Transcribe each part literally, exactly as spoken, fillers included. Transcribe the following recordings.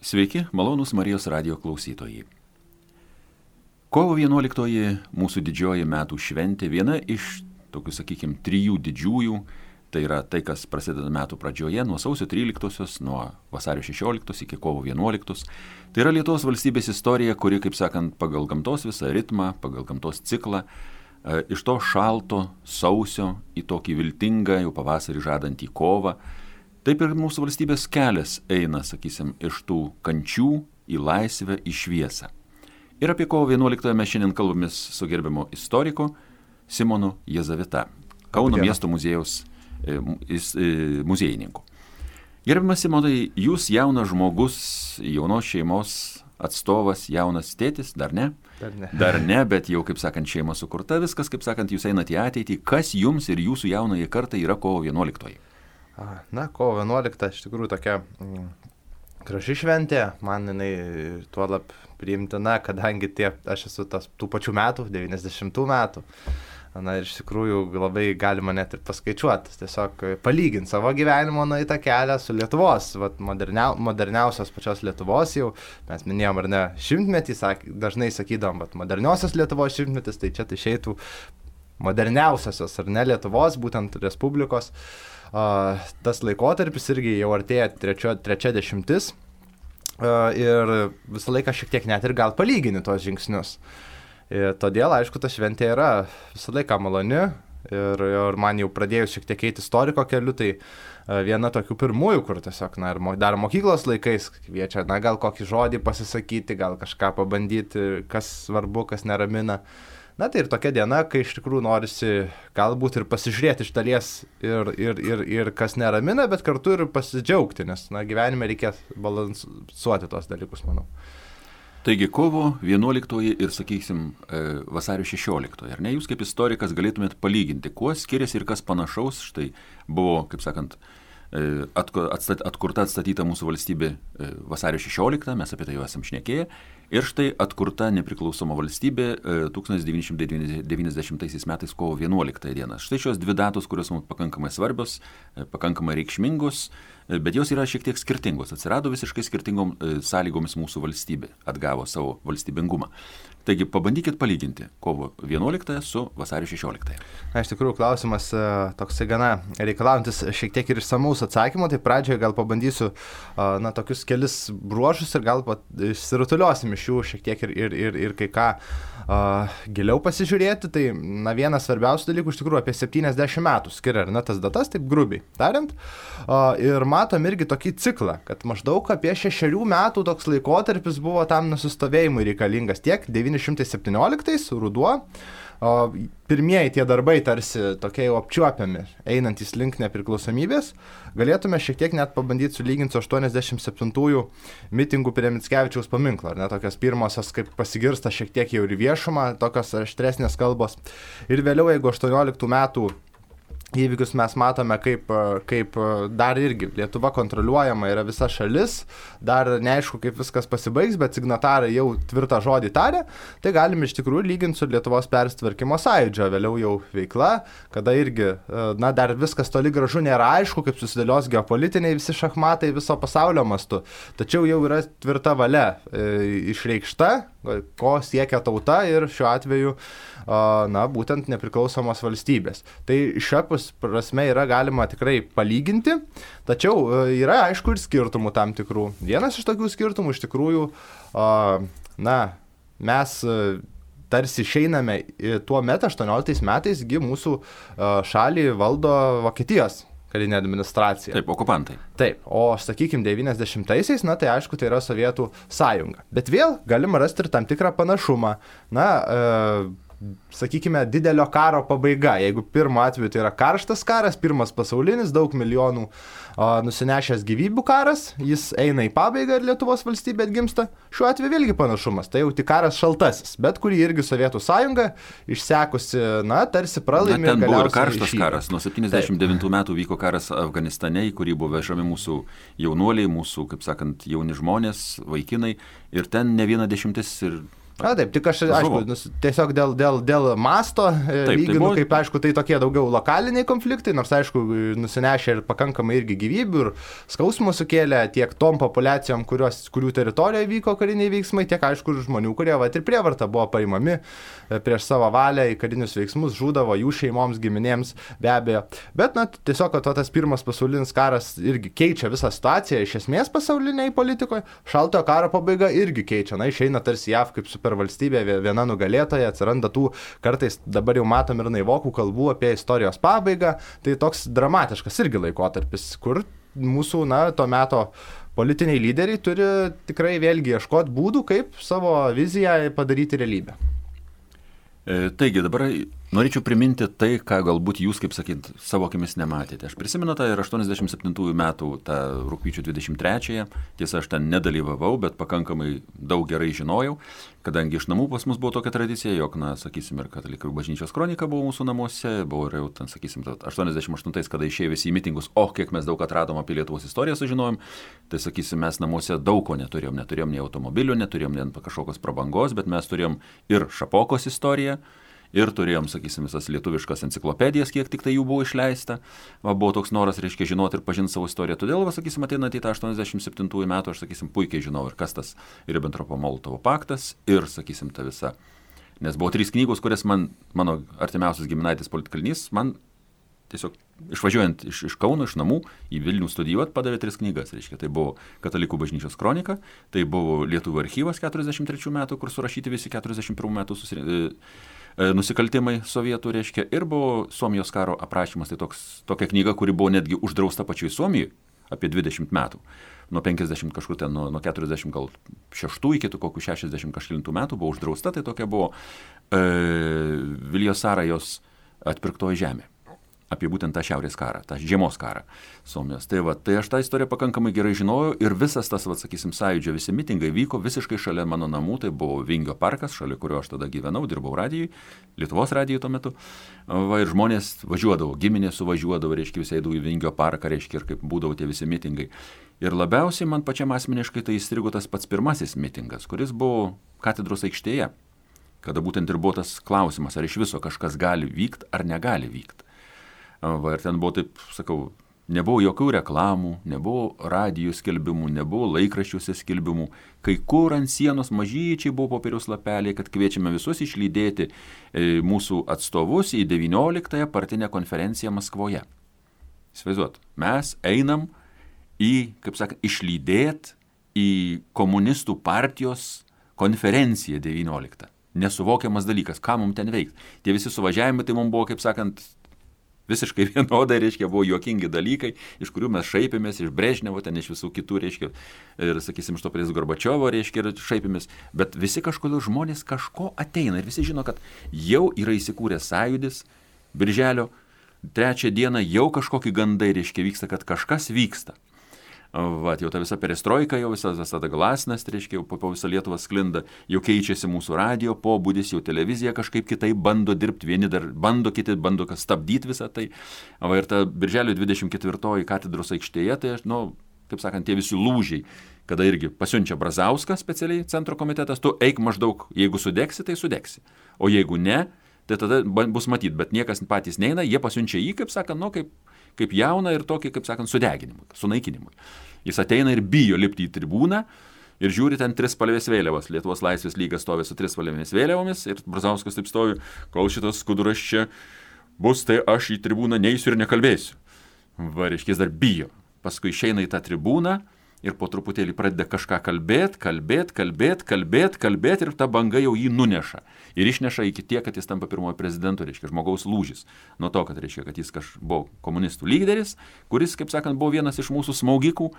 Sveiki, malonūs Marijos radijo klausytojai. Kovo vienuoliktoji mūsų didžioji metų šventė, viena iš tokių, sakykime, trijų didžiųjų, tai yra tai, kas prasideda metų pradžioje, nuo sausio tryliktosios, nuo vasario šešioliktos iki kovo vienuoliktos. Tai yra Lietuvos valstybės istorija, kuri, kaip sakant, pagal gamtos visą ritmą, pagal gamtos ciklą, iš to šalto sausio į tokį viltingą, jau pavasarį žadantį kovą, taip ir mūsų valstybės kelias eina, sakysim, iš tų kančių į laisvę, į šviesą. Ir apie kovo vienuoliktąją mes šiandien kalbamės su gerbiamu istoriku Simonu Jezavita, Kauno miesto muziejaus e, e, muziejininku. Gerbiamas Simonai, jūs jaunas žmogus, jaunos šeimos atstovas, jaunas tėtis, dar ne? Dar ne. Dar ne, bet jau, kaip sakant, šeima sukurta, viskas, kaip sakant, jūs einate į ateitį. Kas jums ir jūsų jaunąjį kartą yra kovo vienuoliktoji? Na, kovo vienuolikta iš tikrųjų tokia mm, graži šventė, man jinai tuo lab priimtina, kadangi tie, aš esu tas, tų pačių metų, devyniasdešimtų metų. Na ir iš tikrųjų labai galima net ir paskaičiuoti, tiesiog palyginti savo gyvenimo nueitą kelią su Lietuvos, vat, moderniau, moderniausios pačios Lietuvos jau, mes minėjom ar ne šimtmetį, sak, dažnai sakydom, bet moderniausios Lietuvos šimtmetis, tai čia tai išeitų moderniausiosios ar ne Lietuvos, būtent Respublikos. Uh, tas laikotarpis irgi jau artėja trečio, trečia dešimtis uh, ir visą laiką šiek tiek net ir gal palygini tos žingsnius. Ir todėl, aišku, ta šventė yra visą laiką maloni ir, ir man jau pradėjus šiek tiek eiti istoriko keliu, tai uh, viena tokių pirmųjų, kur tiesiog, na, ir mo, dar mokyklos laikais kviečia, na, gal kokį žodį pasisakyti, gal kažką pabandyti, kas svarbu, kas neramina. Na tai ir tokia diena, kai iš tikrųjų norisi galbūt ir pasižiūrėti iš dalies ir, ir, ir, ir kas neramina, bet kartu ir pasidžiaugti, nes na, gyvenime reikia balansuoti tos dalykus, manau. Taigi kovo vienuoliktoji ir, sakysim, vasario šešioliktoji, ar ne? Jūs kaip istorikas galėtumėt palyginti, kuo skiriasi ir kas panašaus, štai buvo, kaip sakant, atkurta atstatyta mūsų valstybė vasario šešioliktą, mes apie tai jau esam šnekėję, ir štai atkurta nepriklausoma valstybė tūkstantis devyni šimtai devyniasdešimtaisiais metais kovo vienuoliktąją dieną. Štai šios dvi datos, kurios mums pakankamai svarbios, pakankamai reikšmingos, bet jos yra šiek tiek skirtingos. Atsirado visiškai skirtingom sąlygomis mūsų valstybė, atgavo savo valstybingumą. Taigi pabandykit palyginti kovo vienuoliktąją su vasario šešioliktąją. Na, iš tikrųjų, klausimas toksai gana reikalaujantis šiek tiek ir išsamaus atsakymo, tai pradžioje gal pabandysiu na, tokius kelis bruožus ir gal išsirutuliosim iš jų šiek tiek ir, ir, ir, ir kai ką uh, giliau pasižiūrėti. Tai na, vienas svarbiausių dalykų iš tikrųjų apie septyniasdešimt metų skiria, ar ne, tas datas, taip grubiai tariant. Uh, ir matom irgi tokį ciklą, kad maždaug apie šešerių metų toks laikotarpis buvo tam nusistovėjimui reikalingas tiek devyni šimtai septynioliktais ruduo. O pirmieji tie darbai tarsi tokie jau apčiuopiami, einantys link nepriklausomybės, galėtume šiek tiek net pabandyti sulyginti su aštuoniasdešimt septintųjų mitingų prie Mickevičiaus paminklo, ar ne, tokios pirmosios, kaip pasigirsta šiek tiek jau ir viešumą, tokios aštresnės kalbos. Ir vėliau, jeigu aštuonioliktų metų įvykius mes matome, kaip, kaip dar irgi Lietuva kontroliuojama yra visa šalis, dar neaišku, kaip viskas pasibaigs, bet signatarai jau tvirtą žodį tarė, tai galim iš tikrųjų lyginti su Lietuvos persitvarkymo sąjūdžio, vėliau jau veikla, kada irgi, na, dar viskas toli gražu nėra aišku, kaip susidėlios geopolitiniai visi šachmatai viso pasaulio mastu, tačiau jau yra tvirta valia e, išreikšta, ko siekia tauta ir šiuo atveju, na, būtent nepriklausomos valstybės. Tai šiapus prasme yra galima tikrai palyginti, tačiau yra aišku ir skirtumų tam tikrų. Vienas iš tokių skirtumų iš tikrųjų, na, mes tarsi išeiname tuo metu, aštuonioliktais metais, gi mūsų šalį valdo Vokietijos karinė administracija. Taip, okupantai. Taip, o sakykime devyniasdešimtaisiais, na tai aišku, tai yra Sovietų sąjunga. Bet vėl galima rasti ir tam tikrą panašumą. Na, e, sakykime, didelio karo pabaiga. Jeigu pirmo atveju tai yra karštas karas, pirmas pasaulinis, daug milijonų o, nusinešęs gyvybių karas, jis eina į pabaigą ir Lietuvos valstybė atgimsta. Šiuo atveju vėlgi panašumas, tai jau tik karas šaltasis, bet kurį irgi Sovietų sąjunga išsekusi, na, tarsi pralaimė. Na, ten buvo ir karštas išyga. Karas. Nuo septyniasdešimt devintų metų vyko karas Afganistane, į kurį buvo vežami mūsų jaunuoliai, mūsų, kaip sakant, jauni žmonės, vaikinai, ir ten ne viena dešimtis ir Na taip, tik aš, aišku, nus, tiesiog dėl, dėl, dėl masto taip, lyginu, tai buvo... kaip aišku, tai tokie daugiau lokaliniai konfliktai, nors aišku, nusinešė ir pakankamai irgi gyvybių ir skausmų sukėlė tiek tom populiacijom, kurios, kurių teritorijoje vyko kariniai veiksmai, tiek aišku žmonių, kurie va, ir prievarta buvo paimami prieš savo valią į karinius veiksmus, žūdavo jų šeimoms, giminėms, be abejo. Bet, na, tiesiog, kad tas pirmas pasaulinis karas irgi keičia visą situaciją iš esmės pasauliniai politikoje, šaltojo karo pabaiga irgi keičia, na, išeina tarsi J A V kaip super valstybė, viena nugalėtoja, atsiranda tų kartais dabar jau matom ir naivokų kalbų apie istorijos pabaigą, tai toks dramatiškas irgi laikotarpis, kur mūsų, na, to meto politiniai lyderiai turi tikrai vėlgi ieškoti būdų, kaip savo viziją padaryti realybę. E, taigi, dabar norėčiau priminti tai, ką galbūt jūs, kaip sakyt, savo akimis nematėte. Aš prisimenu tą ir aštuoniasdešimt septintųjų metų tą rugpjūčio dvidešimt trečiąją. Tiesa, aš ten nedalyvavau, bet pakankamai daug gerai žinojau, kadangi iš namų pas mus buvo tokia tradicija, jog, na, sakysim, ir katalikų bažnyčios kronika buvo mūsų namuose, buvo ir jau ten, sakysim, aštuoniasdešimt aštuntais, kada išėjo visi į mitingus, o kiek mes daug atradom apie Lietuvos istoriją sužinojom, tai, sakysim, mes namuose daug ko neturėjom, neturėjom nei automobilių, neturėjom nei kažkokios prabangos, bet mes turėjom ir Šapokos istoriją, ir turėjom, sakysim, visas lietuviškas enciklopedijas, kiek tik tai jų buvo išleista. Va, buvo toks noras, reiškia, žinoti ir pažinti savo istoriją. Todėl, va, sakysim, ateinant į tą aštuoniasdešimt septintųjų metų, aš, sakysim, puikiai žinau ir kas tas Ribentropo-Molotovo paktas ir, sakysim, ta visa. Nes buvo trys knygos, kurias man, mano artimiausias giminaitis politkalinys, man tiesiog išvažiuojant iš, iš Kauno, iš namų, į Vilnių studijuoti, padavė tris knygas. Reiškia, tai buvo Katalikų bažnyčios kronika, tai buvo Lietuvių archyvas keturiasdešimt trečių metų, kur surašyti visi keturiasdešimt pirmų metų susirinkti. Nusikaltimai sovietų, reiškia, ir buvo Suomijos karo aprašymas, tai toks, tokia knyga, kuri buvo netgi uždrausta pačioj Suomijai apie dvidešimt metų. Nuo penkiasdešimt kažkur ten, nuo, nuo keturiasdešimt gal šeštų iki kokių šešiasdešimt kažkelintų metų buvo uždrausta, tai tokia buvo e, Viljos Sarajos Atpirktoji žemė. Apie būtent tą šiaurės karą, tą žiemos karą Suomijos. Tai, va, tai aš tą istoriją pakankamai gerai žinojau ir visas tas, va, sakysim, sąjūdžio visi mitingai vyko visiškai šalia mano namų, tai buvo Vingio parkas, šalia kurio aš tada gyvenau, dirbau radijui, Lietuvos radijui tuo metu. Va, ir žmonės važiuodavo, giminės suvažiuodavo, reiškia, visi eidavo į Vingio parką, reiškia, ir kaip būdavo tie visi mitingai. Ir labiausiai man pačiam asmeniškai tai įstrigo tas pats pirmasis mitingas, kuris buvo katedros aikštėje, kada būtent ir buvo tas klausimas, ar iš viso kažkas gali vykti ar negali vykti. Va, ir ten buvo taip, sakau, nebuvo jokių reklamų, nebuvo radijų skelbimų, nebuvo laikraščiuose skelbimų. Kai kur ant sienos mažyčiai buvo popieriaus lapeliai, kad kviečiame visus išlydėti e, mūsų atstovus į devynioliktąją partinę konferenciją Maskvoje. Įsivaizduot, mes einam į, kaip sakant, išlydėti į komunistų partijos konferenciją devynioliktą. Nesuvokiamas dalykas, ką mums ten veikti. Tie visi suvažiavimai, tai mums buvo, kaip sakant, visiškai vienodai, reiškia, buvo juokingi dalykai, iš kurių mes šaipėmės, iš Brežnevo, ten iš visų kitų, reiškia, ir, sakysim, iš to pries Gorbačiovo, reiškia, ir šaipėmės, bet visi kažkodėl žmonės kažko ateina ir visi žino, kad jau yra įsikūręs sąjūdis, birželio trečią dieną jau kažkokie gandai, reiškia, vyksta, kad kažkas vyksta. Vat, jau ta visa perestroika, jau visas visada glasnas, reiškia, jau po, po visą Lietuvą sklinda, jau keičiasi mūsų radio pobūdis, jau televizija kažkaip kitaip bando dirbti, vieni dar bando, kiti bando stabdyti visą tai. Va, ir ta birželio dvidešimt ketvirtoji katedros aikštėje, tai, nu, kaip sakant, tie visi lūžiai, kada irgi pasiunčia Brazauską specialiai centro komitetas, tu eik maždaug, jeigu sudegsi, tai sudegsi, o jeigu ne, tai tada bus matyti, bet niekas patys neina, jie pasiunčia jį, kaip sakant, nu, kaip kaip jauną ir tokį, kaip sakant, sudeginimui, sunaikinimui. Jis ateina ir bijo lipti į tribūną ir žiūri ten trispalvės vėliavos. Lietuvos laisvės lyga stovi su trispalvėmis vėliavomis ir Brazauskas taip stovi, kol šitas skuduras čia bus, tai aš į tribūną neisiu ir nekalbėsiu. Va, reiškia, jis dar bijo. Paskui išeina į tą tribūną ir po truputėlį pradeda kažką kalbėt, kalbėt, kalbėt, kalbėt, kalbėt ir ta banga jau jį nuneša. Ir išneša iki tiek, kad jis tampa pirmojo prezidentu, reiškia, žmogaus lūžis. Nuo to, kad reiškia, kad jis kaž buvo komunistų lyderis, kuris, kaip sakant, buvo vienas iš mūsų smaugikų.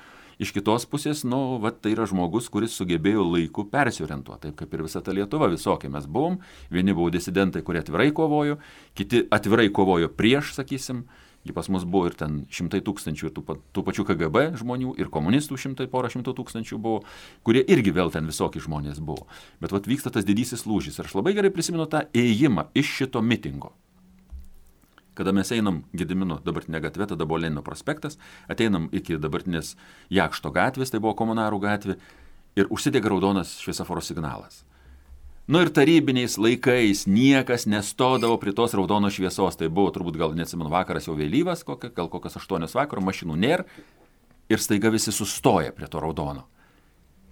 Iš kitos pusės, nu, va, tai yra žmogus, kuris sugebėjo laiku persiorientuoti, taip kaip ir visa ta Lietuva, visokie mes buvom. Vieni buvo disidentai, kurie atvirai kovojo, kiti atvirai kovojo prieš, sakysim. Jį pas mus buvo ir ten šimtai tūkstančių ir tų, tų pačių K G B žmonių ir komunistų šimtai, porą šimtų tūkstančių buvo, kurie irgi vėl ten visokie žmonės buvo. Bet vat vyksta tas didysis lūžis. Ir aš labai gerai prisimenu tą ėjimą iš šito mitingo. Kada mes einam Gedimino dabartinė gatvė, tada buvo Lenino prospektas, ateinam iki dabartinės Jakšto gatvės, tai buvo Komunarų gatvė, ir užsidega raudonas šviesoforo signalas. Nu ir tarybiniais laikais niekas nestodavo prie tos raudonos šviesos. Tai buvo turbūt gal neatsimenu vakaras jau vėlyvas, kokia, gal kokias aštuonios vakaro, mašinų nėra ir staiga visi sustoja prie to raudono.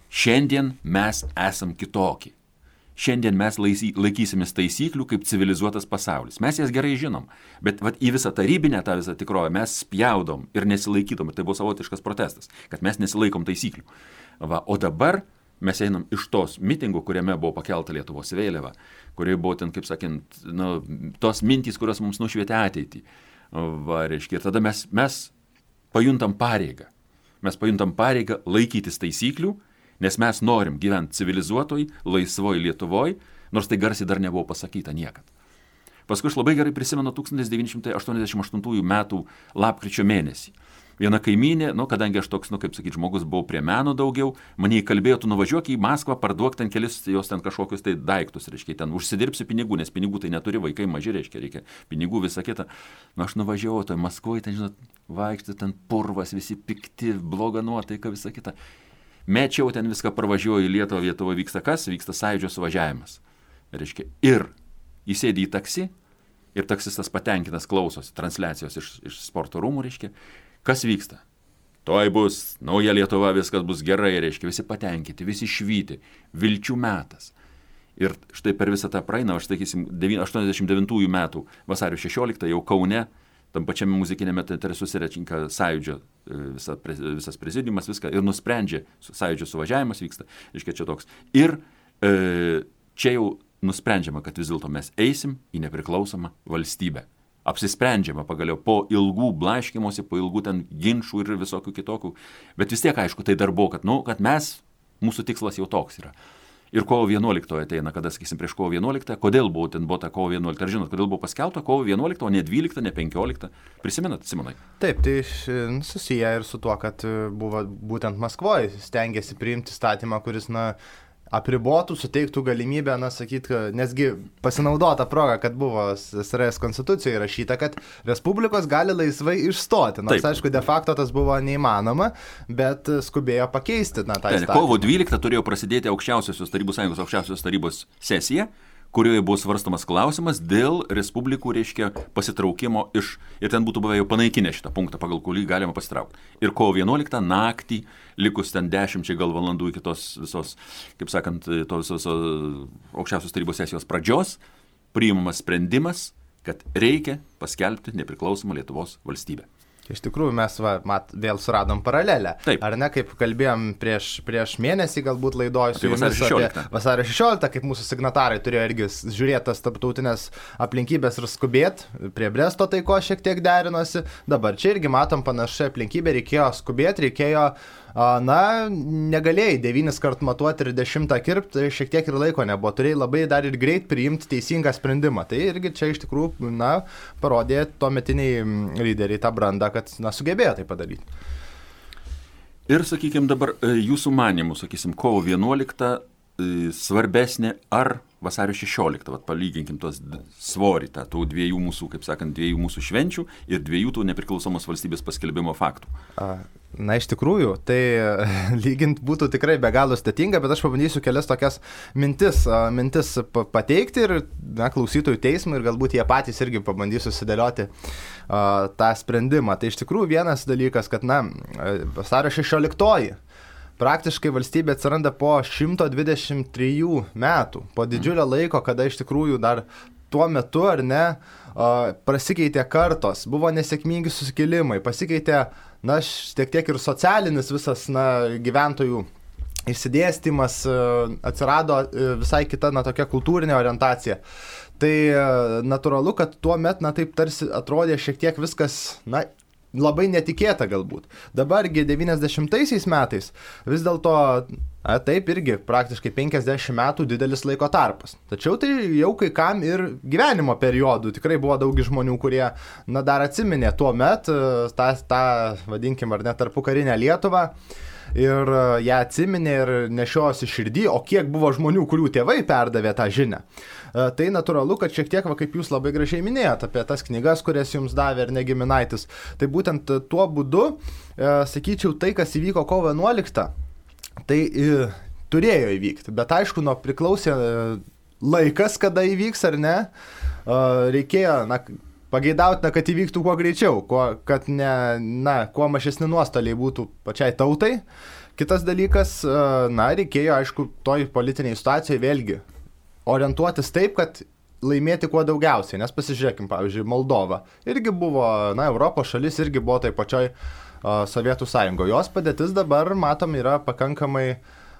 Šiandien mes esam kitokie. Šiandien mes laikysimės taisyklių kaip civilizuotas pasaulis. Mes jas gerai žinom, bet vat, į visą tarybinę tą visą tikrovę mes spjaudom ir nesilaikytom. Ir tai buvo savotiškas protestas, kad mes nesilaikom taisyklių. Va, o dabar mes einam iš tos mitingų, kuriame buvo pakelta Lietuvos vėliava, kurioje buvo ten, kaip sakant, nu, tos mintys, kurios mums nušvietė ateitį. Va, reiškia, ir tada mes, mes pajuntam pareigą. Mes pajuntam pareigą laikytis taisyklių, nes mes norim gyventi civilizuotoj, laisvoj Lietuvoj, nors tai garsiai dar nebuvo pasakyta niekad. Paskui aš labai gerai prisimenu tūkstantis devyni šimtai aštuoniasdešimt aštuntųjų metų lapkričio mėnesį. Viena kaimynė, nu, kadangi aš toks, nu, kaip sakyti, žmogus buvau prie meno daugiau, mane įkalbėjo, tu nuvažiuok į Maskvą, parduok ten kelis jos ten kažkokius tai daiktus, reiškia, ten užsidirbsi pinigų, nes pinigų tai neturi, vaikai maži, reiškia, reikia pinigų, visą kitą. Nu, aš nuvažiavau, tai Maskvoje, ten, žinot, vaikšti, ten purvas, visi pikti, bloga nuotaika, visą kitą. Mečiau ten viską, parvažiuoju į Lietuvą, Lietuvoje vyksta kas? Vyksta sąjūdžio suvažiavimas. Reiškia, ir įsėdi į taksi, ir taksistas patenkintas klausosi transliacijos iš, iš sporto rūmų, reiškia. Kas vyksta? Tuoj bus nauja Lietuva, viskas bus gerai, reiškia, visi patenkinti, visi švyti, vilčių metas. Ir štai per visą tą praeina, aš sakysim, aštuoniasdešimt devintųjų metų vasario šešioliktą jau Kaune, tam pačiame muzikinėme teatre susirenka sąjūdžio visa, visas prezidiumas, viską ir nusprendžia, sąjūdžio suvažiavimas vyksta, reiškia čia toks. Ir e, čia jau nusprendžiama, kad vis dėlto mes eisim į nepriklausomą valstybę. Apsisprendžiama pagaliau po ilgų blaškymosi, po ilgų ten ginčų ir visokių kitokių. Bet vis tiek, aišku, tai dar buvo, kad, nu, kad mes, mūsų tikslas jau toks yra. Ir kovo vienuoliktoji ateina, kada, sakysim, prieš kovo vienuoliktą, kodėl buvo ten buvo ta kovo vienuolikta, ar žinot, kodėl buvo paskelbta kovo vienuolikta, o ne dvylikta, ne penkiolikta. Prisimenat, Simonai? Taip, tai susiję ir su tuo, kad buvo būtent Maskvoje stengiasi priimti statymą, kuris, na, apribotų, suteiktų galimybę, na, sakyt, nesgi pasinaudota proga, kad buvo S S R S konstitucijoje rašyta, kad respublikos gali laisvai išstoti. Nors, aišku, de facto tas buvo neįmanoma, bet skubėjo pakeisti, na, tą įstatymą. Kovo dvyliktą turėjo prasidėti aukščiausiosios tarybų sąjungos aukščiausiosios tarybos sesija, kurioje buvo svarstomas klausimas dėl respublikų, reiškia, pasitraukimo iš, ir ten būtų buvę jau panaikinę šitą punktą, pagal kurį galima pasitraukti. Ir kovo vienuoliktą naktį, likus ten dešimčiai gal valandų iki tos visos, kaip sakant, tos visos aukščiausios tarybos sesijos pradžios, priimamas sprendimas, kad reikia paskelbti nepriklausomą Lietuvos valstybę. Iš tikrųjų, mes va, mat, vėl suradom paralelę. Taip. Ar ne, kaip kalbėjom prieš, prieš mėnesį, galbūt laidoj su jumis apie vasario šešioliktą, kaip mūsų signatarai turėjo irgi žiūrėti tas tarptautinės aplinkybės ir skubėti, prie Bresto taiko šiek tiek derinosi. Dabar čia irgi matom panašią aplinkybę, reikėjo skubėti, reikėjo, na, negalėjai devynis kart matuoti ir dešimtą kirpti, šiek tiek ir laiko nebuvo, turėjai labai dar ir greit priimti teisingą sprendimą. Tai irgi čia iš tikrųjų, na, parodė tuometiniai lyderiai tą brandą, kad, na, sugebėjo tai padaryti. Ir, sakykime, dabar jūsų manimų, sakysim, kovo vienuoliktą svarbesnė ar vasario šešioliktą, vat palyginkim tos svorį, tą tų dviejų mūsų, kaip sakant, dviejų mūsų švenčių ir dviejų tų nepriklausomos valstybės paskelbimo faktų. Na, iš tikrųjų, tai lygint būtų tikrai be galo sudėtinga, bet aš pabandysiu kelias tokias mintis, mintis pateikti ir, na, klausytojų teismui ir galbūt jie patys irgi pabandys susidėlioti uh, tą sprendimą. Tai iš tikrųjų vienas dalykas, kad, na, vasario šešioliktoji praktiškai valstybė atsiranda po šimto dvidešimt trijų metų, po didžiulio laiko, kada iš tikrųjų dar tuo metu, ar ne, pasikeitė kartos, buvo nesėkmingi susikilimai, pasikeitė, na, tiek tiek ir socialinis visas, na, gyventojų išsidėstymas, atsirado visai kita, na, tokia kultūrinė orientacija. Tai natūralu, kad tuo metu, na, taip tarsi atrodė šiek tiek viskas, na, labai netikėta galbūt. Dabargi devyniasdešimtaisiais metais vis dėlto, a, taip irgi praktiškai penkiasdešimt metų didelis laiko tarpas. Tačiau tai jau kai kam ir gyvenimo periodų. Tikrai buvo daug žmonių, kurie, na, dar atsiminė tuo metu tą, tą vadinkim, ar ne, tarpukarinę Lietuvą. Ir ją atsiminė ir nešiojosi širdį, o kiek buvo žmonių, kurių tėvai perdavė tą žinią. Tai natūralu, kad šiek tiek, va, kaip jūs labai gražiai minėjot, apie tas knygas, kurias jums davė ir negiminaitis, tai būtent tuo būdu, sakyčiau, tai, kas įvyko kovo vienuoliktą, tai turėjo įvykti, bet aišku, nuo priklausė laikas, kada įvyks ar ne. Reikėjo, na, pageidautina, kad įvyktų kuo greičiau, kuo, kad ne, na, kuo mažesni nuostoliai būtų pačiai tautai. Kitas dalykas, na, reikėjo, aišku, toj politiniai situacijai vėlgi orientuotis taip, kad laimėti kuo daugiausiai, nes pasižiūrėkim, pavyzdžiui, Moldova irgi buvo, na, Europos šalis irgi buvo tai pačioj uh, Sovietų sąjungoje. Jos padėtis dabar, matom, yra pakankamai,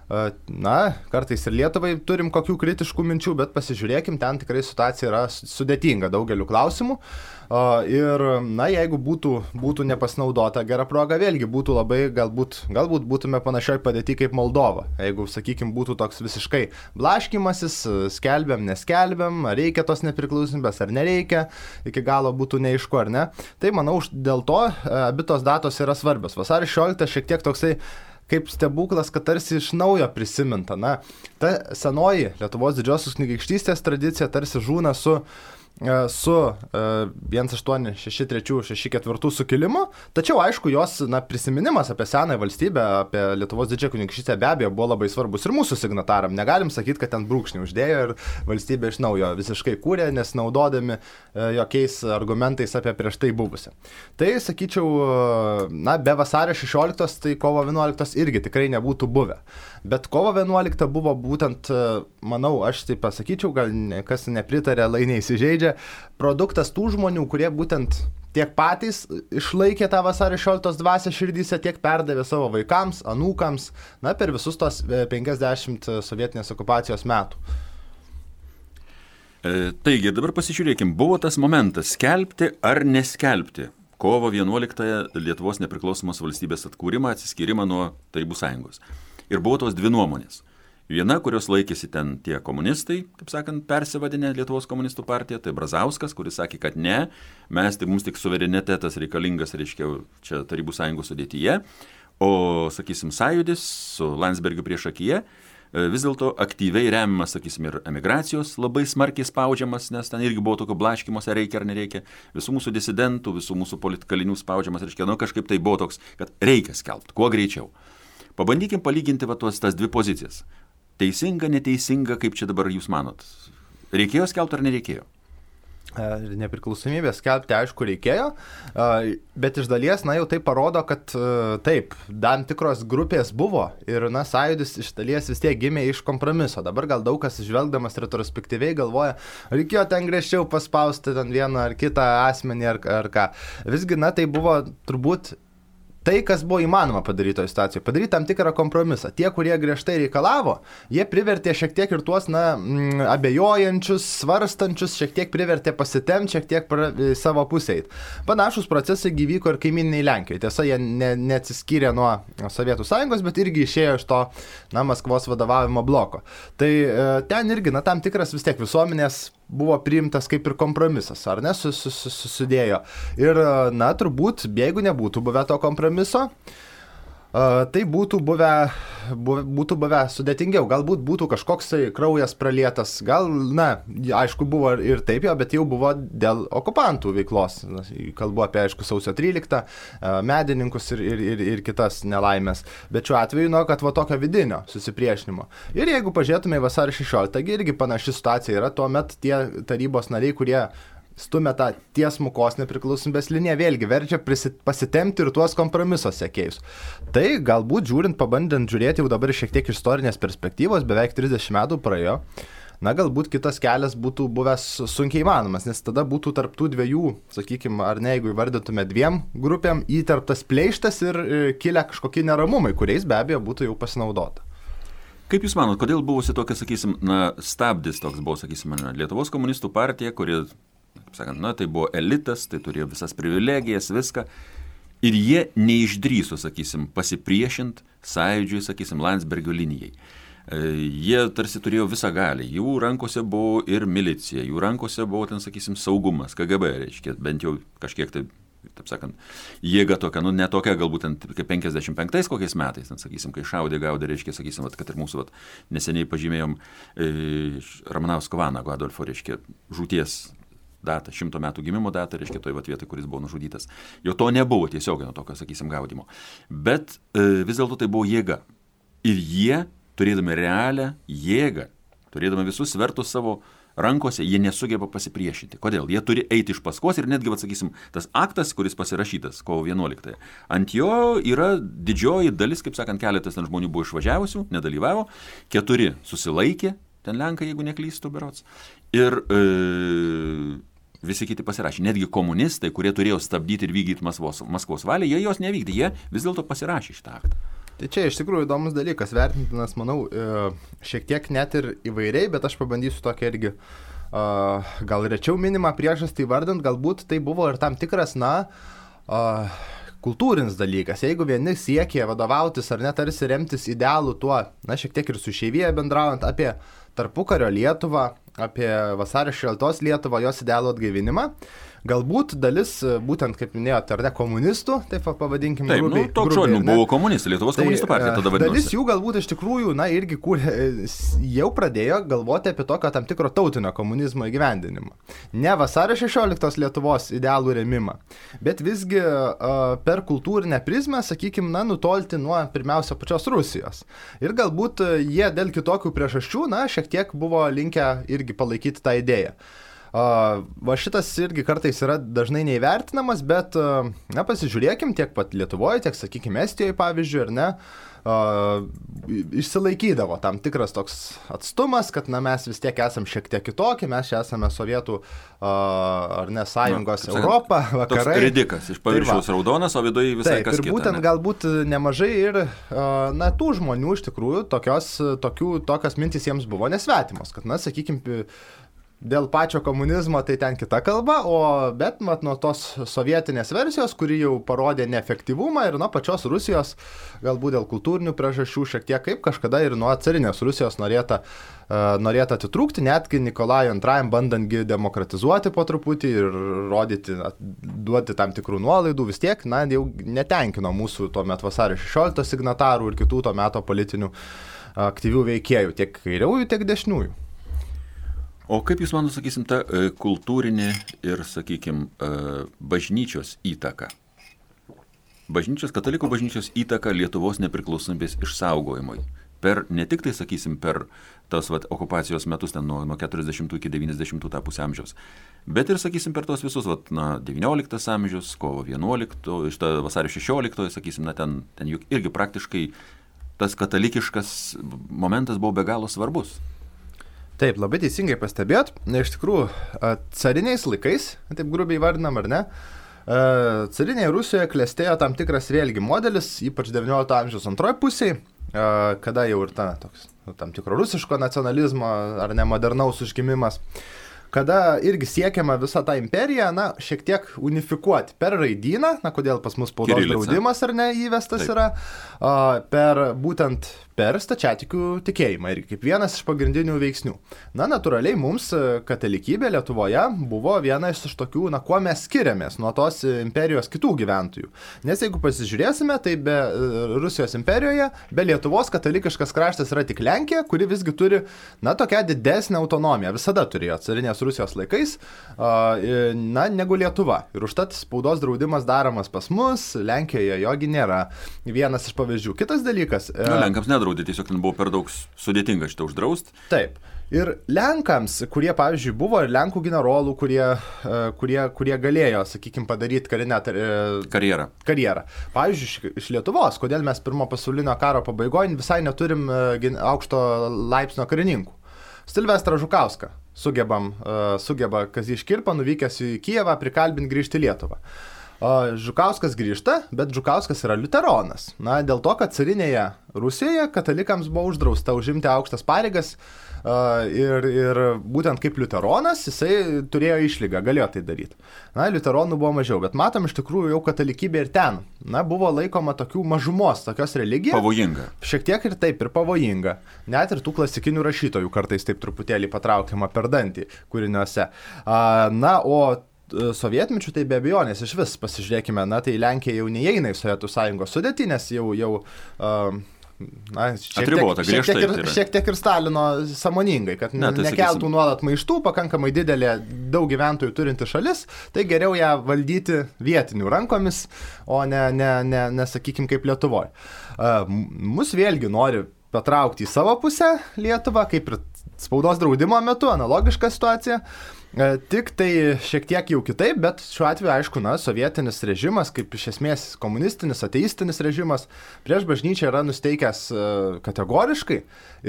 uh, na, kartais ir Lietuvai turim kokių kritiškų minčių, bet pasižiūrėkim, ten tikrai situacija yra sudėtinga daugeliu klausimų. Uh, ir, na, jeigu būtų, būtų nepasinaudota gera proga, vėlgi būtų labai, galbūt, galbūt būtume panašioj padėti kaip Moldova. Jeigu, sakykime, būtų toks visiškai blaškymasis, skelbiam, neskelbiam, ar reikia tos nepriklausomybės, ar nereikia, iki galo būtų neaišku, ar ne. Tai, manau, dėl to abi tos datos yra svarbios. Vasario šešiolikta šiek tiek toksai kaip stebuklas, kad tarsi iš naujo prisiminta. Na, ta senoji Lietuvos didžiosios kunigaikštystės tradicija tarsi žūna su su vienas aštuoni šeši trys šeši keturi sukilimu, tačiau aišku jos, na, prisiminimas apie senąją valstybę, apie Lietuvos didžiąją kunigaikštystę be abejo buvo labai svarbus ir mūsų signataram. Negalim sakyti, kad ten brūkšnį uždėjo ir valstybė iš naujo visiškai kūrė, nes naudodami jokiais argumentais apie prieš tai buvusią. Tai, sakyčiau, na, be vasario šešioliktos, tai kovo vienuoliktos irgi tikrai nebūtų buvę. Bet kovo vienuolikta buvo būtent, manau, aš tai pasakyčiau, gal kas nepritarė, lai neįsižeidžia, produktas tų žmonių, kurie būtent tiek patys išlaikė tą vasario šešioliktos dvasią širdyse, tiek perdavė savo vaikams, anūkams, na, per visus tos penkiasdešimt sovietinės okupacijos metų. E, taigi, dabar pasižiūrėkim, buvo tas momentas skelbti ar neskelbti kovo vienuoliktąją Lietuvos nepriklausomos valstybės atkūrimą, atsiskyrimą nuo Tarybų sąjungos. Ir buvo tos dvi nuomonės. Viena, kurios laikėsi ten tie komunistai, kaip sakant, persivadinę Lietuvos komunistų partiją, tai Brazauskas, kuris sakė, kad ne, mes tai mums tik suverenitetas reikalingas, reiškia, čia Tarybų sąjungos sudėtyje, o, sakysim, Sąjūdis su Landsbergiu priešakyje vis dėlto aktyviai remiamas, sakysim, ir emigracijos labai smarkiai spaudžiamas, nes ten irgi buvo tokio blaškymosi, reikia ar nereikia, visų mūsų disidentų, visų mūsų politkalinių spaudžiamas, reiškia, nu kažkaip tai buvo toks, kad reikia skelbti, kuo greičiau. Pabandykim palyginti va tuos tas dvi pozicijas. Teisinga, neteisinga, kaip čia dabar jūs manot? Reikėjo skelbti ar nereikėjo? Nepriklausomybę skelbti, aišku, reikėjo, bet iš dalies, na, jau tai parodo, kad taip, tam tikros grupės buvo ir, na, Sąjūdis iš dalies vis tiek gimė iš kompromiso. Dabar gal daug kas žvelgdamas retrospektyviai galvoja, reikėjo ten griežčiau paspausti ten vieną ar kitą asmenį ar, ar ką. Visgi, na, tai buvo turbūt tai, kas buvo įmanoma padaryti toje situacijoje, padaryti tam tikrą kompromisą. Tie, kurie griežtai reikalavo, jie privertė šiek tiek ir tuos, na, abejojančius, svarstančius, šiek tiek privertė pasitemti, šiek tiek pra, savo pusėj. Panašus procesai gyvyko ir kaimyniniai Lenkijoje. Tiesa, jie ne, neatsiskyrė nuo Sovietų sąjungos, bet irgi išėjo iš to, na, Maskvos vadovavimo bloko. Tai e, ten irgi, na, tam tikras vis tiek visuomenės buvo priimtas kaip ir kompromisas, ar ne, susidėjo. Ir, na, turbūt, jeigu nebūtų buvę to kompromiso, tai būtų buvę, būtų buvę sudėtingiau. Galbūt būtų kažkoks kraujas pralietas, gal, na, aišku, buvo ir taip jau, bet jau buvo dėl okupantų veiklos. Kalbu apie, aišku, sausio tryliktą, medininkus ir, ir, ir, ir kitas nelaimės. Bet šiuo atveju, nu, kad va tokio vidinio susipriešinimo. Ir jeigu pažiūrėtume į vasario šešioliktą, irgi panaši situacija yra, tuomet tie tarybos nariai, kurie stumia tą tiesmukos nepriklausomybės liniją, vėlgi verčia pasitemti ir tuos kompromiso sekėjus. Tai galbūt žiūrint, pabandant žiūrėti jau dabar šiek tiek istorinės perspektyvos, beveik trisdešimt metų praėjo, na galbūt kitas kelias būtų buvęs sunkiai įmanomas, nes tada būtų tarp tų dviejų, sakykime, ar ne, jeigu įvardytume dviem grupėm, įtarptas pleištas ir kilę kažkokie neramumai, kuriais be abejo būtų jau pasinaudota. Kaip Jūs manot, kodėl buvusi tokia, sakysim, na, stabdis toks buvo, sakysim, Lietuvos komunistų partija, kuri, kaip sakant, na, tai buvo elitas, tai turėjo visas privilegijas, viską. Ir jie neišdrįso, sakysim, pasipriešint Sąjūdžiui, sakysim, Landsbergio linijai. Jie tarsi turėjo visą galį. Jų rankose buvo ir milicija, jų rankose buvo ten, sakysim, saugumas, K G B, reiškia, bent jau kažkiek tai, taip sakant, jėga tokia, nu, ne tokia, galbūt ten kaip penkiasdešimt penktais kokiais metais, ten, sakysim, kai šaudė, gaudė, reiškia, sakysim, vat, kad ir mūsų vat, neseniai pažymėjom e, Ramanausko Vanago Adolfo, reiškia, žūties datą, šimto metų gimimo datą, reiškia, toj vat vietoj, kuris buvo nužudytas. Jo to nebuvo tiesiog nuo tokio, sakysim, gaudimo. Bet e, vis dėlto tai buvo jėga. Ir jie, turėdami realią jėgą, turėdami visus svertus savo rankose, jie nesugeba pasipriešinti. Kodėl? Jie turi eiti iš paskos ir netgi, atsakysim, tas aktas, kuris pasirašytas kovo vienuoliktąją, ant jo yra didžioji dalis, kaip sakant, keletas ten žmonių buvo išvažiavusių, nedalyvavo, keturi susilaikė, ten Lenkai, jeigu neklystu berods, ir e, visi kiti pasirašė. Netgi komunistai, kurie turėjo stabdyti ir vykdyti Maskvos, Maskvos valią, jie jos nevykdė, jie vis dėlto pasirašė šitą aktą. Tai čia iš tikrųjų įdomus dalykas, vertintinas, manau, šiek tiek net ir įvairiai, bet aš pabandysiu tokia irgi gal rečiau minimą priežastį vardant, galbūt tai buvo ir tam tikras, na, kultūrinis dalykas. Jeigu vieni siekė vadovautis ar net tarsi remtis idealų tuo, na, šiek tiek ir su išeivija bendraujant apie tarpukario Lietuvą, apie vasario šešioliktos Lietuvą, jos idealų atgaivinimą, galbūt dalis, būtent kaip minėjote, ar ne komunistų, taip pavadinkim, taip, grubiai. Taip, nu, toks žodžiu, buvo komunistai, Lietuvos tai, komunistų partija tada vadinosi. Dalis jų galbūt iš tikrųjų, na, irgi kūrė, jau pradėjo galvoti apie tokio tam tikro tautinio komunizmo įgyvendinimą. Ne vasario šešioliktos Lietuvos idealų rėmimą, bet visgi uh, per kultūrinę prizmę, sakykime, na, nutolti nuo pirmiausia pačios Rusijos. Ir galbūt jie dėl kitokių priežasčių, na, šiek tiek buvo linkę irgi palaikyti tą idėją. Uh, va šitas irgi kartais yra dažnai neįvertinamas, bet, uh, na, pasižiūrėkim tiek pat Lietuvoje, tiek, sakykime, Estijoje, pavyzdžiui, ar ne, uh, išsilaikydavo tam tikras toks atstumas, kad, na, mes vis tiek esam šiek tiek kitokie, mes čia esame Sovietų, uh, ar ne, sąjungos, na, Europą, vakarai. Toks ridikas, iš paviršiaus raudonas, o viduje visai taip, kas kita. Ir būtent ne? Galbūt nemažai ir, uh, na, tų žmonių iš tikrųjų tokios, tokių, tokios mintys jiems buvo nesvetimos, kad, na, sakykime, dėl pačio komunizmo tai ten kita kalba, o bet mat, nuo tos sovietinės versijos, kuri jau parodė neefektyvumą ir nuo pačios Rusijos, galbūt dėl kultūrinių priežasčių šiek tiek kaip kažkada ir nuo carinės Rusijos norėta, uh, norėta atitrūkti, netgi Nikolajui antrajam bandantgi demokratizuoti po truputį ir rodyti, duoti tam tikrų nuolaidų, vis tiek, na, jau netenkino mūsų tuo metu vasario šešioliktos signatarų ir kitų to meto politinių aktyvių veikėjų, tiek kairiųjų, tiek dešiniųjų. O kaip Jūs man sakysim tą e, kultūrinį ir, sakykim, e, bažnyčios įtaką? Bažnyčios, katalikų bažnyčios įtaką Lietuvos nepriklausomybės išsaugojimui. Per, ne tik tai, sakysim, per tos vat, okupacijos metus, ten nuo, nuo keturiasdešimtų iki devyniasdešimtų tą pusę amžiaus, bet ir, sakysim, per tos visus, vat, na, devynioliktas amžius, kovo vienuoliktojo, iš to vasario šešioliktojo, sakysim, na, ten, ten juk irgi praktiškai tas katalikiškas momentas buvo be galo svarbus. Taip, labai teisingai pastebėt. Iš tikrųjų, cariniais laikais, taip grubiai vardinam, ar ne, carinėje Rusijoje klestėjo tam tikras vėlgi modelis, ypač devyniolikto amžiaus antroje pusėje, kada jau ir ta, toks, tam tikro rusiško nacionalizmo ar ne modernaus užgimimas, kada irgi siekiama visą tą imperiją, na, šiek tiek unifikuoti per raidyną, na, kodėl pas mus spaudos draudimas ar ne įvestas taip. Yra, a, per būtent per stačiatikių tikėjimą ir kaip vienas iš pagrindinių veiksnių. Na, natūraliai mums katalikybė Lietuvoje buvo viena iš tokių, na, kuo mes skiriamės nuo tos imperijos kitų gyventojų. Nes jeigu pasižiūrėsime, tai be Rusijos imperijoje, be Lietuvos katalikiškas kraštas yra tik Lenkija, kuri visgi turi, na, tokią didesnę autonomiją. Visada turėjo carinės Rusijos laikais, na, negu Lietuva. Ir užtat spaudos draudimas daromas pas mus, Lenkijoje jogi nėra. Vienas iš pavyzdžių. Kitas dalykas. Nu, Lenkams nedraudė, tiesiog ten buvo per daug sudėtinga šitą uždraust. Taip. Ir Lenkams, kurie, pavyzdžiui, buvo ir Lenkų generolų, kurie, kurie, kurie galėjo, sakykime, padaryti karinę karjerą. karjerą. Pavyzdžiui, iš Lietuvos, kodėl mes pirmo pasaulinio karo pabaigoje visai neturim aukšto laipsnio karininkų. Silvestrą Žukauską sugebam, sugeba Kazys Škirpa, nuvykęs į Kijevą, prikalbinti grįžti į Lietuvą. Žukauskas grįžta, bet Žukauskas yra liuteronas. Na, dėl to, kad carinėje Rusijoje katalikams buvo uždrausta užimti aukštas pareigas ir, ir būtent kaip liuteronas jisai turėjo išlygą, galėjo tai daryti. Na, liuteronų buvo mažiau, bet matom iš tikrųjų jau katalikybė ir ten. Na, buvo laikoma tokių mažumos, tokios religijos. Pavojinga. Šiek tiek ir taip, ir pavojinga. Net ir tų klasikinių rašytojų kartais taip truputėlį patraukiama per dantį kūriniuose. Na, o sovietmečių tai be abejonės iš vis pasižiūrėkime, na tai Lenkija jau neįeina į Sovietų sąjungos sudėtį, nes jau, jau uh, na, šiek, Atribota, tiek, šiek, tiek ir, tai šiek tiek ir Stalino sąmoningai, kad ne, tai nekeltų sakysim... nuolat maištų, pakankamai didelė, daug gyventojų turinti šalis, tai geriau ją valdyti vietinių rankomis, o ne, ne, ne, ne sakykim, kaip Lietuvoje. Uh, mus vėlgi nori patraukti į savo pusę Lietuvą, kaip ir spaudos draudimo metu, analogiška situacija. Tik tai šiek tiek jau kitaip, bet šiuo atveju, aišku, na, sovietinis režimas, kaip iš esmės komunistinis, ateistinis režimas, prieš bažnyčią yra nusteikęs kategoriškai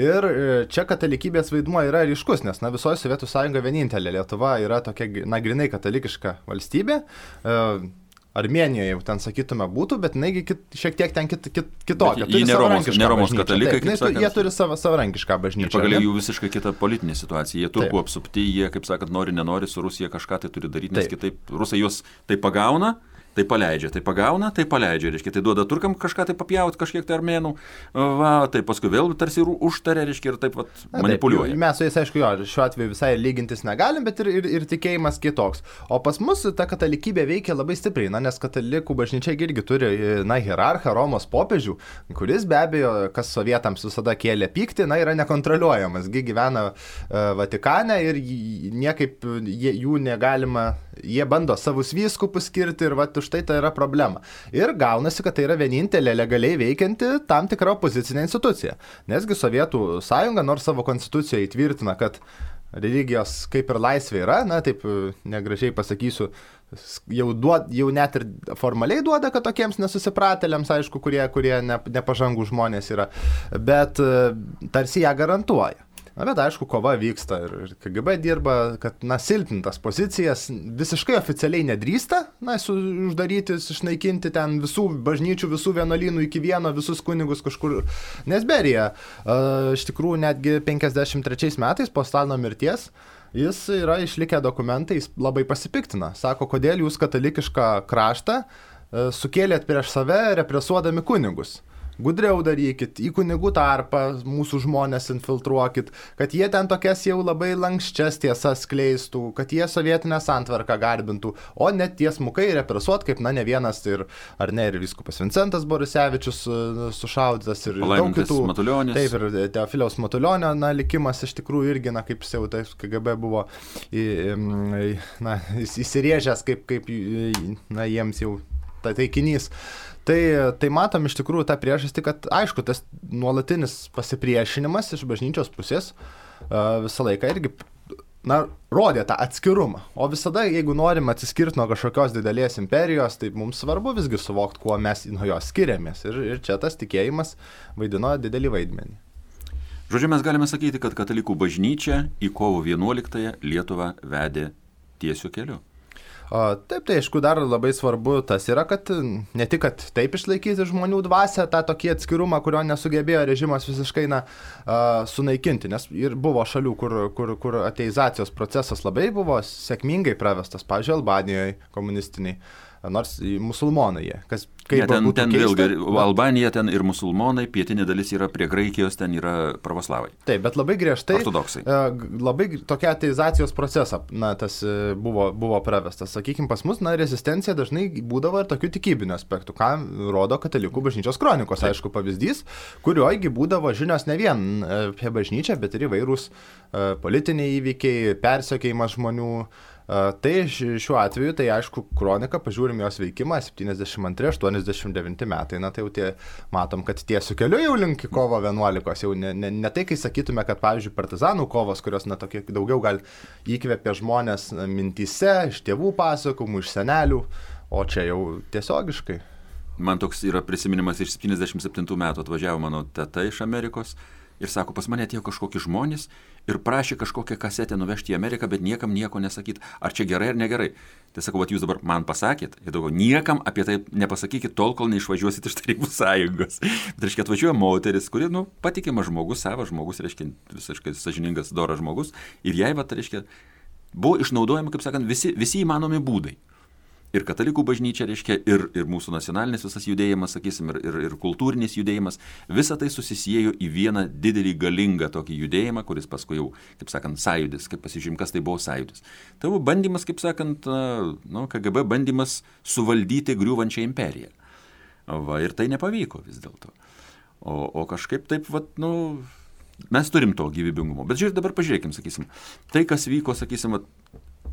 ir čia katalikybės vaidmuo yra ryškus, nes, na, visoje Sovietų sąjunga vienintelė Lietuva yra tokia, na, grinai katalikiška valstybė. Armėnijoje jau ten, sakytume, būtų, bet jinai kit, šiek tiek ten kit, kit, kitokia. Jie ne Romos, ne Romos katalikai, taip, kaip sakant. Jie turi savo savarankišką bažnyčią. Ir pagaliau jų visiškai kita politinė situacija. Jie turkų apsupti, jie, kaip sakant, nori, nenori, su Rusija kažką tai turi daryti, nes taip. Kitaip rusai juos tai pagauna, tai paleidžia, tai pagauna, tai paleidžia, reiškia, tai duoda turkam kažką tai papjauti, kažkiek tai armėnų, va, tai paskui vėl tarsi užtarė, reiškia, ir taip vat, manipuliuoja. Taip, mes su jais, aišku, jo, šiuo atveju visai lygintis negalim, bet ir, ir, ir tikėjimas kitoks. O pas mus ta katalikybė veikia labai stipriai, na, nes katalikų bažnyčia irgi turi, na, hierarchą, Romos popiežių, kuris be abejo, kas sovietams visada kėlė pyktį, na, yra nekontroliuojamas, gi gyvena uh, Vatikane ir niekaip jie, jų negalima, jie bando savus vyskupus skirti ir va, štai tai yra problema. Ir gaunasi, kad tai yra vienintelė legaliai veikianti tam tikra opozicinė institucija. Nesgi Sovietų sąjunga, nors savo konstitucijoje įtvirtina, kad religijos kaip ir laisvė yra, na taip negražiai pasakysiu, jau, duod, jau net ir formaliai duoda, kad tokiems nesusipratėliams, aišku, kurie, kurie ne, nepažangų žmonės yra, bet tarsi ją garantuoja. Na, bet aišku, kova vyksta ir K G B dirba, kad, na, silpnintas pozicijas visiškai oficialiai nedrįsta, na, su, uždaryti, išnaikinti ten visų bažnyčių, visų vienuolynų iki vieno, visus kunigus kažkur. Nes Berija, uh, iš tikrųjų, netgi penkiasdešimt trečiais metais po Stalino mirties, jis yra išlikę dokumentai, jis labai pasipiktina. Sako, kodėl jūs katalikišką kraštą uh, sukėlėt prieš save represuodami kunigus. Gudriau darykit, į kunigų tarpą mūsų žmonės infiltruokit, kad jie ten tokias jau labai lankščias tiesas skleistų, kad jie sovietinę santvarką garbintų, o net tiesmukai represuot, kaip, na, ne vienas ir, ar ne, ir vyskupas Vincentas Borisevičius sušaudytas ir daug kitų. Matulionis. Taip, ir Teofiliaus Matulionio, na, likimas iš tikrųjų irgi, na, kaip jau tai K G B buvo į, na, įsirėžęs, kaip, kaip, na, jiems jau ta taikinys. Tai, tai matom iš tikrųjų tą priežastį, kad aišku, tas nuolatinis pasipriešinimas iš bažnyčios pusės uh, visą laiką irgi, na, rodė tą atskirumą. O visada, jeigu norim atsiskirti nuo kažkokios didelės imperijos, tai mums svarbu visgi suvokti, kuo mes nuo jos skiriamės. Ir, ir čia tas tikėjimas vaidino didelį vaidmenį. Žodžiu, mes galime sakyti, kad katalikų bažnyčia į kovo vienuoliktąją Lietuvą vedė tiesiu keliu. O, taip, tai aišku, dar labai svarbu tas yra, kad ne tik, kad taip išlaikyti žmonių dvasią, tą tokį atskirumą, kurio nesugebėjo režimas visiškai na, sunaikinti, nes ir buvo šalių, kur, kur, kur ateizacijos procesas labai buvo sėkmingai pravestas, pavyzdžiui, Albanijoje komunistiniai, nors musulmonai jie. Kas, ja, ten ten keista, vėlgi, Albanija ten ir musulmonai, pietinė dalis yra prie Graikijos, ten yra pravoslavai. Taip, bet labai griežtai, ortodoksai. Labai tokia ateizacijos procesą, na, tas buvo, buvo pravestas. Sakykime, pas mus, na, rezistencija dažnai būdavo ir tokių tikybinių aspektų, ką rodo katalikų bažnyčios kronikos, taip. Aišku, pavyzdys, kurioigi būdavo žinios ne vien apie bažnyčią, bet ir įvairūs uh, politiniai įvykiai, persekiojimas žmonių. Uh, tai šiuo atveju, tai aišku, kronika, pažiūrim jos veikimą, septyniasdešimt antri aštuoniasdešimt devinti metai, na tai jau tie, matom, kad tiesiu keliu jau link kovo vienuoliktos, jau ne, ne, ne tai, kai sakytume, kad, pavyzdžiui, partizanų kovos, kurios, na, tokie daugiau gal įkvėpė žmonės mintyse, iš tėvų pasakomų, iš senelių, o čia jau tiesiogiškai. Man toks yra prisiminimas iš septyniasdešimt septintų metų, atvažiavo mano teta iš Amerikos ir sako, pas mane atėjo kažkokie žmonės ir prašė kažkokią kasetę nuvežti į Ameriką, bet niekam nieko nesakyti, ar čia gerai ar negerai. Tai sakau, vat jūs dabar man pasakėt, ir daugiau niekam apie tai nepasakykit tol, kol neišvažiuosit iš Tarybų sąjungos. Tai reiškia, atvažiuoja moteris, kuri, nu, patikimas žmogus, savas žmogus, reiškia, visiškai sąžiningas, doras žmogus, ir jai, vat, reiškia, buvo išnaudojami, kaip sakant, visi, visi įmanomi būdai. Ir katalikų bažnyčia, reiškia, ir, ir mūsų nacionalinis visas judėjimas, sakysim, ir, ir, ir kultūrinis judėjimas, visa tai susisiejo į vieną didelį galingą tokį judėjimą, kuris paskui jau, kaip sakant, sąjūdis, kaip pasižym, kas tai buvo sąjūdis. Tai buvo bandymas, kaip sakant, nu, K G B bandymas suvaldyti griūvančią imperiją. Va, ir tai nepavyko vis dėlto. O, o kažkaip taip, vat, nu, mes turim to gyvybingumo. Bet žiūrėk, dabar pažiūrėkim, sakysim, tai, kas vyko, sakysim, vat,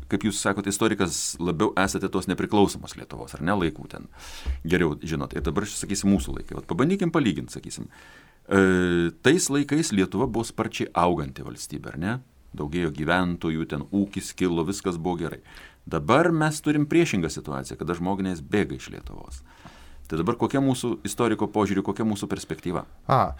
kaip jūs sakote, istorikas, labiau esate tos nepriklausomos Lietuvos, ar ne, laikų ten. Geriau žinot. Ir dabar, sakysim, mūsų laikai. Vat pabandykim palyginti, sakysim. E, tais laikais Lietuva buvo sparčiai auganti valstybė, ar ne? Daugėjo gyventojų, ten ūkis kilo, viskas buvo gerai. Dabar mes turim priešingą situaciją, kada žmonės bėga iš Lietuvos. Tai dabar kokia mūsų istoriko požiūrį, kokia mūsų perspektyva? A,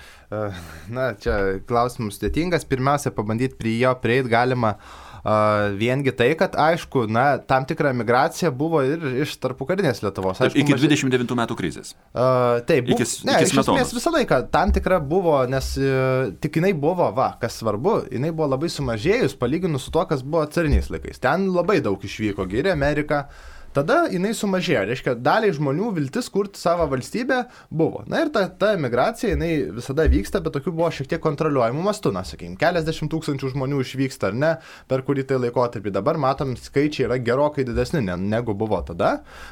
na, čia klausimas sudėtingas. Pirmiausia, pabandyti prie jo prieiti galima uh, viengi tai, kad aišku, na, tam tikra migracija buvo ir iš tarpukarinės Lietuvos. Aišku, iki maži... dvidešimt devintų metų krizės. Uh, taip, bu... iki, ne, iki iš esmės visą laiką tam tikra buvo, nes uh, tik jinai buvo, va, kas svarbu, jinai buvo labai sumažėjus, palyginus su tuo, kas buvo cariniais laikais. Ten labai daug išvyko, gyrė Ameriką. Tada jinai sumažėjo, reiškia, daliai žmonių viltis kurti savo valstybę buvo. Na ir ta, ta emigracija, jinai visada vyksta, bet tokių buvo šiek tiek kontroliuojamų mastų, na, sakykime, keliasdešimt tūkstančių žmonių išvyksta ar ne, per kurį tai laikotarpį. Dabar matom, skaičiai yra gerokai didesni negu buvo tada,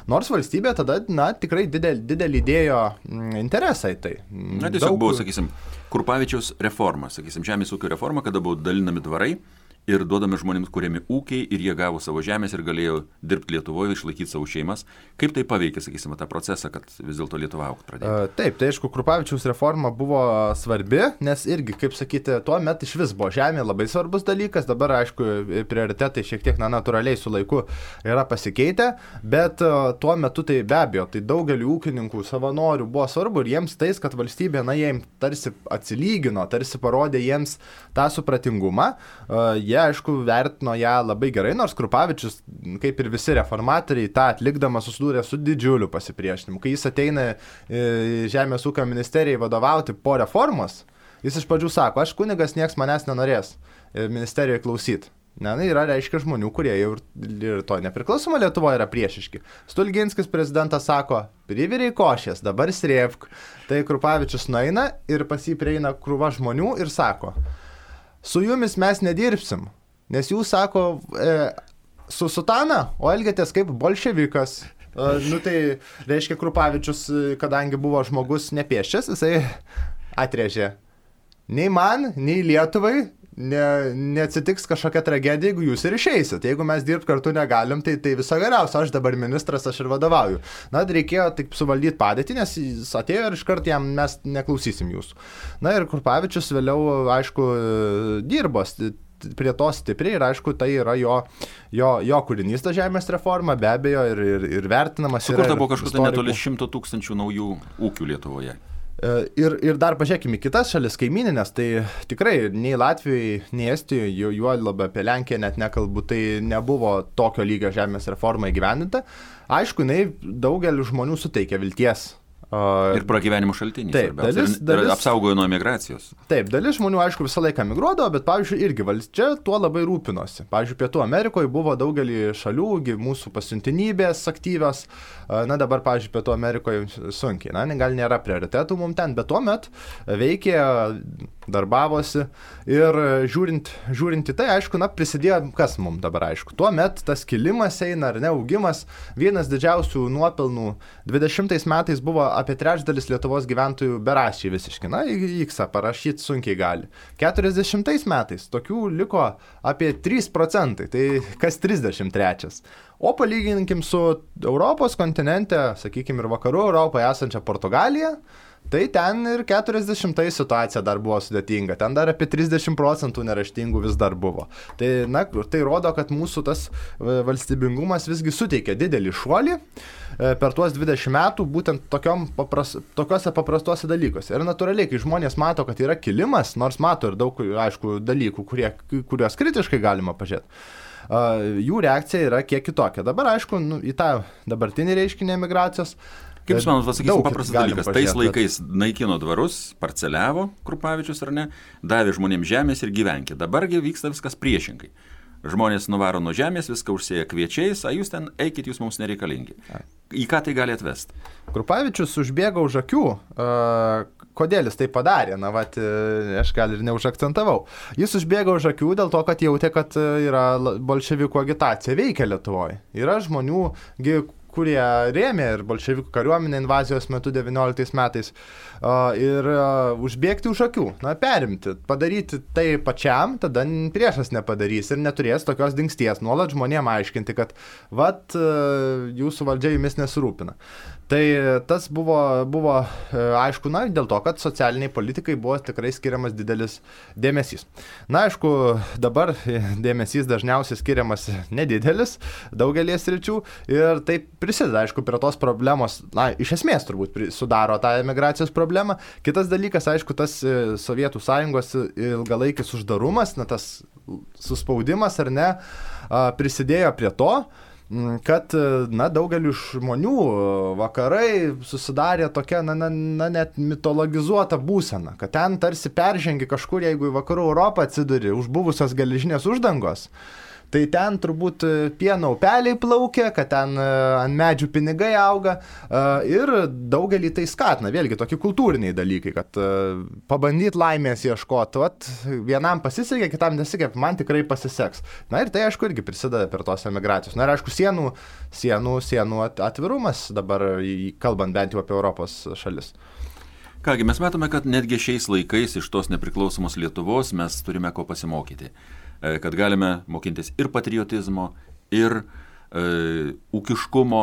nors valstybė tada, na, tikrai didelį, didelį dėjo interesą į tai. Na, tiesiog Daug... buvo, sakysim, Krupavičiaus reforma, sakysim, žemės ūkio reforma, kada buvo dalinami dvarai. Ir duodami žmonėms kuriami ūkiai ir jie gavo savo žemės ir galėjo dirbti Lietuvoje, išlaikyti savo šeimas. Kaip tai paveikė, sakysime, tą procesą, kad vis dėlto Lietuva augti pradėjo? Uh, taip, tai aišku, Krupavičiaus reforma buvo svarbi, nes irgi, kaip sakyti, tuo metu iš vis buvo žemė labai svarbus dalykas, dabar, aišku, prioritetai šiek tiek na, natūraliai su laiku yra pasikeitę, bet uh, tuo metu tai be abejo, tai daugeliu ūkininkų, savanorių buvo svarbu ir jiems tais, kad valstybė, na, jiems tarsi atsilygino, tarsi parodė jiems tą supratingumą. Uh, Jie, aišku, vertino ją labai gerai, nors Krupavičius, kaip ir visi reformatoriai, tą atlikdamas susidūrė su didžiuliu pasipriešinimu. Kai jis ateina į Žemės ūkio ministerijai vadovauti po reformos, jis iš pradžių sako, aš kunigas, nieks manęs nenorės ministerijoje klausyti. Ne, yra, reiškia, žmonių, kurie jau ir to nepriklausoma Lietuvoje yra priešiški. Stulginskis prezidentas sako, priviriai košės, dabar srėvk. Tai Krupavičius nueina ir pas jį prieina krūva žmonių ir sako, su jumis mes nedirbsim, nes jūs sako e, su sutana, o elgiatės kaip bolševikas. E, nu tai reiškia Krupavičius, kadangi buvo žmogus nepieščias, jisai atrėžė. Nei man, nei Lietuvai ne, neatsitiks kažkokia tragedija, jeigu jūs ir išeisit. Jeigu mes dirbti kartu negalim, tai, tai viso geriausio, aš dabar ministras, aš ir vadovauju. Na, reikėjo taip suvaldyti padėtį, nes jis atėjo ir iškart jam mes neklausysim jūsų. Na ir Krupavičius vėliau, aišku, dirbo prie to stipriai ir, aišku, tai yra jo, jo, jo kūrinys, ta žemės reforma, be abejo, ir, ir, ir vertinamas. Sukurta buvo kažkas netoli šimto tūkstančių naujų ūkių Lietuvoje. Ir, ir dar pažiūrėkime į kitas šalis kaimininės, tai tikrai nei Latvijai, nei Estijoje, juo labiau apie Lenkiją net nekalbu, tai nebuvo tokio lygio žemės reforma įgyvendinta. Aišku, jinai daugeliu žmonių suteikia vilties. Ir pragyvenimo šaltinys. Taip, dalis, dalis, apsaugojo nuo migracijos. Taip, dalis žmonių, aišku, visą laiką migruodavo, bet, pavyzdžiui, irgi valdžia tuo labai rūpinosi. Pavyzdžiui, Pietų Amerikoje buvo daugelį šalių, mūsų pasiuntinybės aktyvios. Na, dabar, pavyzdžiui, Pietų Amerikoje sunkiai. Na, gal nėra prioritetų mums ten, bet tuo met veikė, darbavosi ir žiūrint, žiūrint į tai, aišku, na, prisidėjo, kas mums dabar aišku. Tuo met tas kilimas eina, ar ne, augimas, vienas didžiausių nuopelnų dvidešimtais metais buvo apie trečdalis Lietuvos gyventojų beraščiai visiškai. Na, iksą parašyti sunkiai gali. keturiasdešimtais metais tokių liko apie trys procentai, tai kas trisdešimt trečias. O palyginkim su Europos kontinente, sakykime, ir vakarų Europoje esančia Portugalija, tai ten ir keturiasdešimtais situacija dar buvo sudėtinga. Ten dar apie trisdešimt procentų neraštingų vis dar buvo. Tai, na, tai rodo, kad mūsų tas valstybingumas visgi suteikia didelį šuolį per tuos dvidešimt metų būtent tokiom papras, tokiuose paprastuose dalykuose. Ir natūraliai, kai žmonės mato, kad yra kilimas, nors mato ir daug, aišku, dalykų, kurie, kuriuos kritiškai galima pažiūrėti, jų reakcija yra kiek kitokia. Dabar, aišku, nu, į tą dabartinį reiškinį emigracijos. Kaip jūs manot, pasakysim paprastas dalykas, tais laikais naikino dvarus, parceliavo Krupavičius ar ne, davė žmonėms žemės ir gyvenkė. Dabargi vyksta viskas priešingai. Žmonės nuvaro nuo žemės, viską užsėja kviečiais, o jūs ten eikit, jūs mums nereikalingi. Į ką tai gali atvesti? Krupavičius užbėgo už akių. Uh, kodėl jis tai padarė? Na, vat, aš gal ir neužakcentavau. Jis užbėgo už akių dėl to, kad jautė, kad yra bolševikų agitacija veikia Lietuvoje. Yra žmonių, kurie rėmė ir bolševikų kariuomenę invazijos metu devynioliktais metais ir užbėgti už akių, na, perimti, padaryti tai pačiam, tada priešas nepadarys ir neturės tokios dingsties, nuolat žmonėm aiškinti, kad vat jūsų valdžia jumis nesirūpina. Tai tas buvo, buvo aišku, na, dėl to, kad socialiniai politikai buvo tikrai skiriamas didelis dėmesys. Na, aišku, dabar dėmesys dažniausiai skiriamas nedidelis daugelį sričių ir tai prisideda, aišku, prie tos problemos, na, iš esmės turbūt sudaro tą emigracijos problemą. Kitas dalykas, aišku, tas Sovietų Sąjungos ilgalaikis uždarumas, na, tas suspaudimas ar ne, prisidėjo prie to, kad, na, daugeliu žmonių vakarai susidarė tokia, na, na, na, net mitologizuota būsena, kad ten tarsi peržengi kažkur, jeigu į vakarų Europą atsiduri už buvusios geležinės uždangos, tai ten turbūt pieno upeliai plaukia, kad ten ant medžių pinigai auga ir daugelį tai skatina, vėlgi tokie kultūriniai dalykai, kad pabandyti laimės ieškoti, vat, vienam pasisekė, kitam nesikė, man tikrai pasiseks. Na ir tai, aišku, irgi prisideda per tos emigracijos. Na ir, aišku, sienų, sienų, sienų atvirumas dabar, kalbant bent jau apie Europos šalis. Kągi, mes matome, kad netgi šiais laikais iš tos nepriklausomos Lietuvos mes turime ko pasimokyti. Kad galime mokintis ir patriotizmo, ir e, ūkiškumo,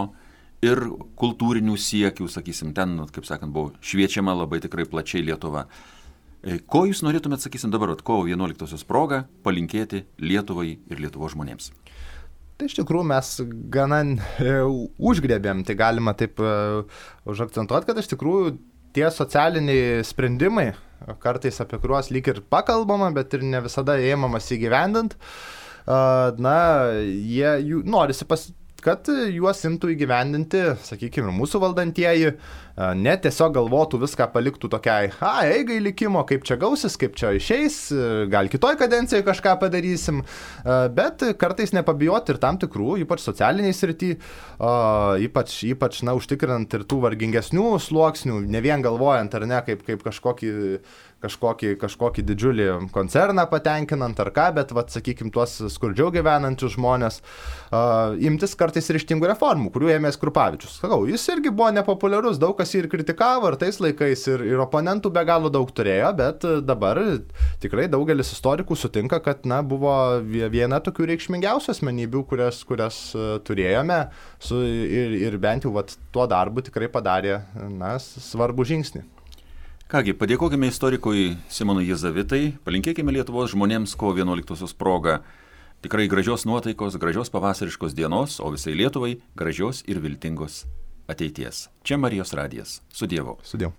ir kultūrinių siekių, sakysim, ten, kaip sakant, buvo šviečiama labai tikrai plačiai Lietuva. E, ko jūs norėtumėt, sakysim, dabar, kovo vienuoliktosios proga, palinkėti Lietuvai ir Lietuvos žmonėms? Tai iš tikrųjų mes gana e, užgrebėm, tai galima taip e, užakcentuoti, kad iš tikrųjų tie socialiniai sprendimai, kartais apie kuriuos lyg ir pakalbama, bet ir ne visada ėmamas įgyvendint, na, jie jų, norisi pas, kad juos imtų įgyvendinti, sakykime, mūsų valdantieji, ne tiesiog galvotų viską paliktų tokiai, a, eigai likimo, kaip čia gausis, kaip čia išeis, gal kitoj kadencijoje kažką padarysim, bet kartais nepabijoti ir tam tikrų, ypač socialiniai srity, ypač, ypač, na, užtikrinant ir tų vargingesnių sluoksnių, ne vien galvojant, ar ne, kaip, kaip kažkokį kažkokį, kažkokį didžiulį koncerną patenkinant ar ką, bet, vat, sakykime, tuos skurdžiau gyvenančius žmonės, uh, imtis kartais ryžtingų reformų, kurių ėmės Krupavičius. Sakau, jis irgi buvo nepopuliarus, daug kas jį ir kritikavo, ir tais laikais, ir, ir oponentų be galo daug turėjo, bet dabar tikrai daugelis istorikų sutinka, kad, na, buvo viena tokių reikšmingiausių asmenybių, kurias, kurias uh, turėjome, su, ir, ir bent jau vat, tuo darbu tikrai padarė, na, svarbų žingsnį. Kągi, padėkokime istorikui Simonui Jezavitai, palinkėkime Lietuvos žmonėms kovo vienuoliktosios proga tikrai gražios nuotaikos, gražios pavasariškos dienos, o visai Lietuvai gražios ir viltingos ateities. Čia Marijos radijas. Su Dievu. Su Dievu.